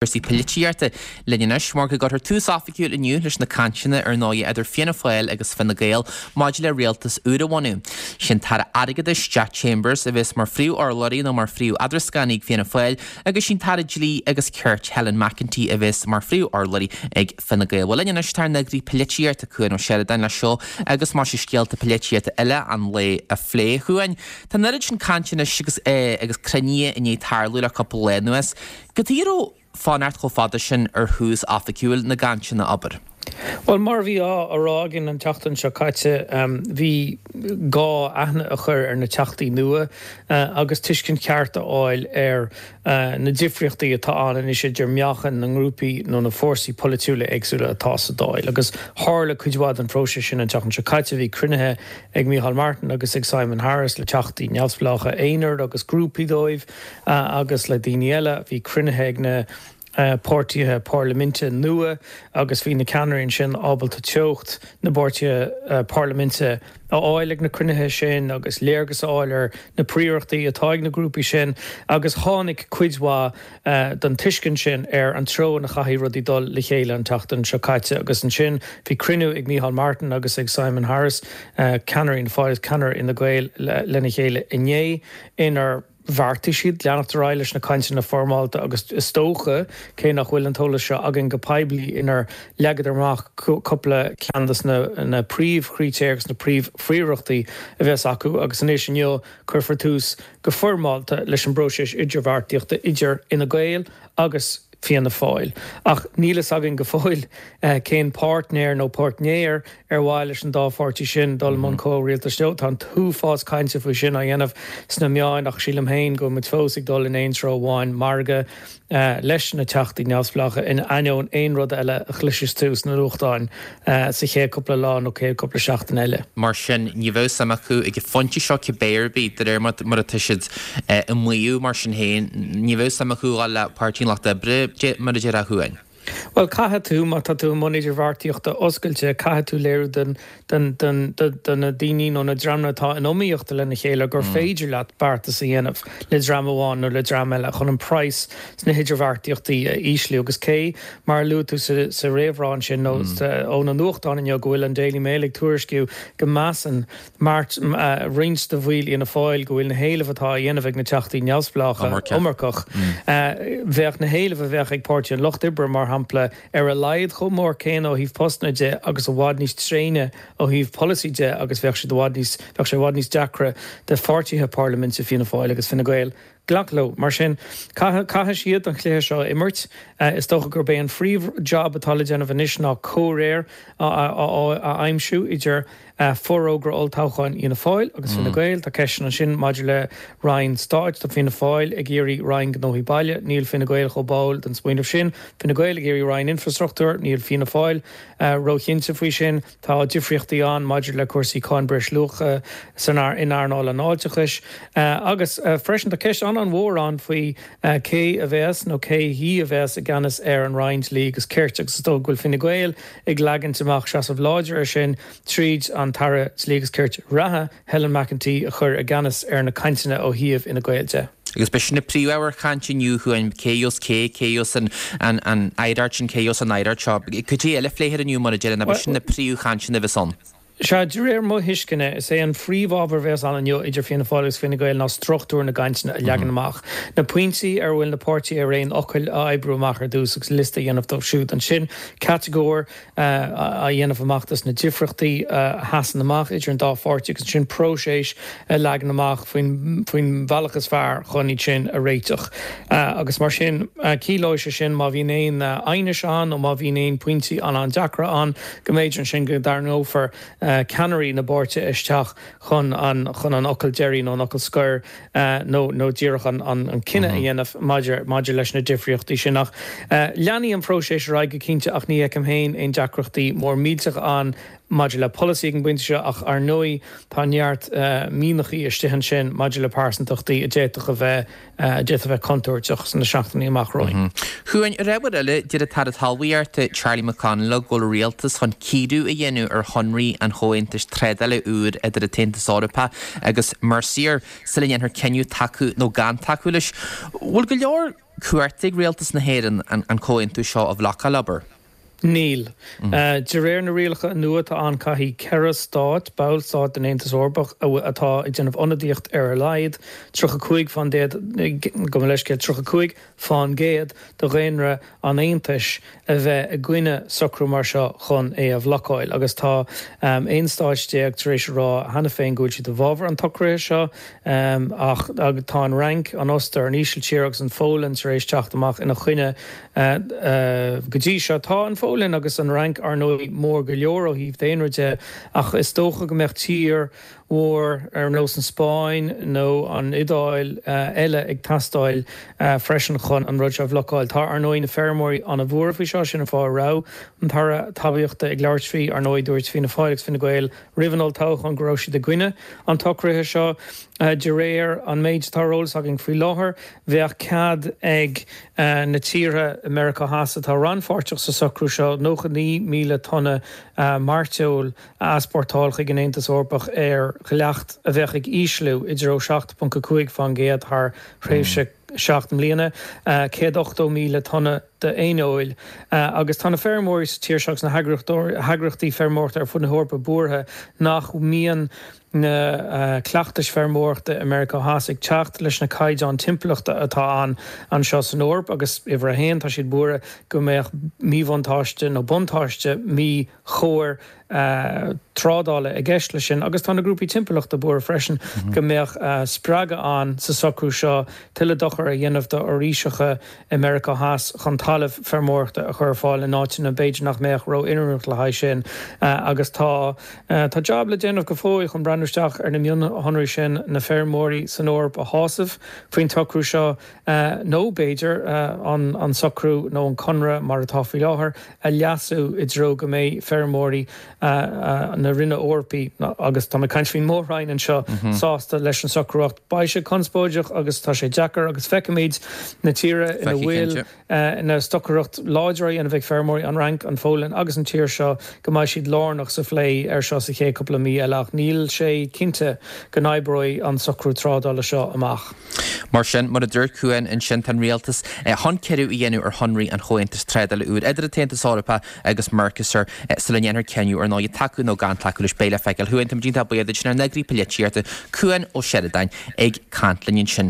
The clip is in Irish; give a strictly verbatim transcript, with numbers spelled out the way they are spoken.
Cúrsaí polaitíochta linn anois mar go gcuirfear tús oifigiúil inniu leis na cainteanna ar ndóigh idir Fianna Fáil agus Fine Gael maidir le rialtas úr a bhunú. Sin tAire Airgeadais Jack Chambers a bheas mar phríomhurlabhraí nó mar phríomh-eadrascánaí ag Fianna Fáil agus sin tAire Dlí agus Cirt Helen McEntee a bheas mar phríomhurlabhraí ag Fine Gael. Bhuel linn anois tá ár n-eagraí polaitíochta Cuan Ó Seireadáin le seo agus mar sin scéalta polaitíochta eile an lae a phlé chugainn. Tá an oiread sin cainte anois agus eh, agus cruinnithe i ndiaidh tarlú le cúpla lá anuas. Cad chuige a raibh fanacht chomh fada sin ar thús oifigiúil na gcainteanna abair. Well mar bhí á rá againn an tseachtain seo caite um, bhí gá aithne a chur ar na teachtaí nua uh, agus tuiscint cheart a fháil ar uh, na difríochtaí atá ann anois idir meáchan na ngrúpaí nó na fórsaí polaitiúla éagsúla atá sa Dáil. agus tharla cuid mhaith den phróiseas sin an tseachtain seo caite bhí cruinnithe ag Micheál Martin agus ag Simon Harris le teachtaí neamhspleácha aonair agus grúpaí dóibh uh, agus le daoine eile bhí cruinnithe ag na Uh, páirtithe parlaiminte nua agus bhí na ceannairí sin ábalta teocht na bpáirtithe uh, parlaiminte a fháil ag na cruinnithe sin agus léargas a fháil ar na príorachtaí atá ag na grúpaí sin agus tháinig cuid mhaith uh, den tuiscint sin ar an treo ina chaithfidh rudaí dul le chéile an tseachtain seo caite agus ansin bhí cruinniú ag Micheál Martin agus ag Simon Harris uh, ceannaire Fhianna Fáil ceannaire Fhine Gael le, lena chéile inné inar bheartaigh siad leanacht ar aghaidh leis na cainteanna foirmeálta agus is dócha cé nach bhfuil an t-eolas seo againn go poiblí inar leagadar amach cúpla ceann de na, na príomhchritéir agus na príomhphríorachtaí a bheas acu agus anois inniu cuirfear tús go foirmeálta leis an bpróiseas idirbheartaíochta idir Fhine Gael agus Fianna Fáil. Ach níl a fhios againn go fóill uh, cén páirtnéir nó páirtnéir ar mhaith leis an dá pháirtí sin dul i mbun comhrialtais leo tá an t-uafás cainte faoi sin á dhéanamh sna meáin ach sílim féin go muid fós ag dul in aon treo amháin margadh uh, leis na teachtaí neamhspleácha in ainneoin aon rud eile a chloisfeas tú sna nuachtáin uh, sa chéad cúpla lá nó céad cúpla seachtain eile. Mar sin ní bheadh suim acu ag an phointe seo cibé ar bith de réir mar atá siad ag maíomh mar sin féin ní bheadh suim acu le Páirtí an Lucht Oibre mar a deir chugainn. Well caithfidh tú má tá tú i mbun idirbheartaíochta oscailte caithfidh tú léiriú den den den den na daoine nó na dreamanna atá in iomaíocht lena chéile gur mm. féidir leat beartas a dhéanamh le dream amháin nó le dream eile chun an praghas sna hidirbheartaíochtaí a ísliú agus cé mar luaigh tú sa, sa réamhrá sin nó mm. ó na nuachtáin inniu go bhfuil an Daily Mail ag tuairisciú go measann Mart uh, roinnt de bhaill Fhianna Fáil go bhfuil na héilimh atá á dhéanamh ag na teachtaí neamhspleácha iomarcach. Mm. Uh, bheadh na héilimh a bheadh ag Páirtí an Lucht Oibre mar shampla ar a laghad chomh mór céanna ó thaobh postanna de agus i bhfad níos tréine ó thaobh polasaí de agus bheadh sé i bhfad níos bheadh sé i bhfad níos deacra do pháirtithe parlaiminte Fianna Fáil agus Fine Gael glacadh leo mar sin caithfidh siad an cluiche seo imirt uh, is dócha gurb é an phríomhjab atá le déanamh anois ná comhréir a aimsiú idir uh, forógra olltoghcháin Fhianna Fáil agus Fine mm. Gael tá ceist ansin maidir le Roinn Stáit tá Fianna Fáil ag iarraidh Roinn Gnóthaí Baile, níl Fine Gael chomh báúil den smaoineamh sin, Fine Gael ag iarraidh Roinn Infrastruchtúir, níl Fianna Fáil uh, róchinnte faoi sin tá difríochtaí ann maidir le cúrsaí cáin breisluacha san in earnáil an fháilteachais uh, agus uh, freisin tá ceist an an-mhór ann faoi uh, cé a bheas nó cé hí a bheas i gceannas ar an Roinn Dlí agus Cirt agus dó bhfuil Fine Gael ag leagan amach seasamh láidir ar sin tríd an tAire Dlí agus Cirt reatha Helen McEntee a chur i gceannas ar na cainteanna ó thaobh Fhine Gael de. Agus b'shin na príomhábhair chainte inniu chugainn cé a bheas cé cé a bheas an an an aireacht sin cé a bheas an aireacht seo. Cad é eile a phléifear inniu mar a deir na b'shin na príomhchainteanna a bheas ann. Sea de réir mo thuisceana is é an phríomhábhar a bheas ann inniu idir Fianna Fáil agus Fine Gael ná struchtúr na gcainteanna a leagan amach. Na pointí ar bhfuil na páirtithe ar aon fhocal a oibriú amach ar dtús agus liosta a dhéanamh dóibh siúd. Ansin catagóir a dhéanamh amach dos na difríochtaí a sheasann amach idir an dá pháirtí agus sin próiseas a leagan amach faoin faoin bhealach is fearr chun iad sin a réiteach. Agus mar sin ciallóidh sé sin má bhíonn aon aighneas ann nó má bhíonn aon pointí an an-deacra ann go mb'fhéidir ansin go dtarraingeofar ceannairí na bpáirtithe isteach chun an chun an fhocal deiridh nó an fhocal scoir nó nó díreach an an an cinneadh a dhéanamh maidir maidir leis na difríochtaí sin ach leanfaidh an próiseas ar aghaidh go cinnte ach ní fheicim féin aon deacrachtaí mór millteach ann maidir le polasaí ag an bpointe seo ach ar ndóigh tá neart mianachaí istigh ansin maidir le pearsantachtaí a d'fhéadfadh a bheith a d'fhéadfadh a bheith contúirteach sna seachtainí amach romhainn. Chuain, ar ábhar eile, deir an tAire Talmhaíochta Charlie McConalogue go bhfuil an Rialtas chun cíoradh a dhéanamh ar shonraí an Chomhaontais Trádála úr idir an tAontas Eorpach agus Mercosur sula ndéanfar cinneadh tacú nó gan tacú leis. Bhfuil go leor cumhachta ag Rialtas na hÉireann an comhaontú seo a bhlocáil, abair? Níl. De réir na rialacha nua atá ann caithfidh ceithre stát, ballstáit den Aontas Eorpach, atá ag déanamh ionadaíocht ar a laghad tríocha cúig fán déad, gabh mo leithscéal, tríocha cúig fán gcéad de dhaonra an Aontais a bheith i gcoinne socrú mar seo chun é a bhlocáil. Agus tá aon stáit déag tar éis a rá cheana féin go bhfuil siad i bhfabhar an tsocraithe seo ach tá an Fhrainc, an Ostair, an Ísiltír agus an Pholainn tar éis teacht amach ina choinne. Go dtí seo, tá an Pholainn agus an Fhrainc, ar ndóigh, mór go leor ó thaobh daonra de, ach is dócha go mbeadh tír mhór ar nós an Spáinn nó an Iodáil eile ag teastáil freisin chun an rud seo a bhlocáil. Tá, ar ndóigh, na feirmeoirí an-bhuartha faoi seo, sin an fáth a raibh an tAire Talmhaíochta ag labhairt faoi. Ar ndóigh, dúirt Fianna Fáil agus Fine Gael roimh an olltoghchán go raibh siad i gcoinne an tsocraithe seo. De réir an méid atá ar eolas againn faoi láthair, bheadh cead ag na tíortha i Meiriceá Theas atá rannpháirteach sa socrú seo nócha naoi míle tonna mairteoil a easpórtáil chuig an Aontas Eorpach ar dhleacht a bheadh ag ísliú i dtreo seacht ponc a cúig fán gcéad thar thréimhse seacht mbliana, céad ochtó míle tonna d'éineoil. Agus tá na feirmeoirí sa tír seo agus na heagraíochtaí feirmeoireachta ar fud na hEorpa buartha nach mbíonn na cleachtais feirmeoireachta i Meiriceá Theas ag teacht leis na caighdeáin timpeallachta atá ann anseo san Eoraip agus, uimhir a haon, tá siad buartha go mbeadh míbhuntáiste nó buntáiste míchóir trádála i gceist leis sin agus tá na grúpaí timpeallachta buartha freisin go mbeadh spreagadh ann sa socrú seo tuilleadh dochair a dhéanamh do fhoraoiseacha i Meiriceá Theas chun talamh feirmeoireachta a chur ar fáil in áiteanna b'fhéidir nach mbeadh ró-oiriúnach le haghaidh sin agus tá tá jab le déanamh go fóill chun breathnú isteach ar na mionshonraí sin, na feirmeoirí san Eoraip a shásamh faoin tsocrú seo nó b'fhéidir an an socrú nó an conradh mar atá faoi láthair a leasú i dtreo go mbeidh feirmeoirí na Roinne Eorpaí, agus tá mé ag caint faoin mór-roinn anseo, sásta leis an socrú ach beidh sé conspóideach agus tá sé deacair agus feicimid na tíortha ina bhfuil na stocaireacht láidir á dhéanamh ag feirmeoirí, an Fhrainc, an Pholainn agus an tír seo, go mbeidh siad lárnach sa phlé air seo sa chéad cúpla mí eile ach níl sé cinnte go n-oibreoidh an socrú trádála seo amach. Mar sin, mar a dúirt Cuan ansin, tá an rialtas chun cíoradh a dhéanamh ar shonraí an Chomhaontais Trádála úr idir an tAontas Eorpach agus Mercosur sula ndéanfar cinneadh ar ndóigh tacú nó gan tacú leis. Beidh le feiceáil. A Chuain, táimid iontach buíoch duit, ár n-eagraí polaitíochta, Cuan Ó Seireadáin, ag caint linn ansin.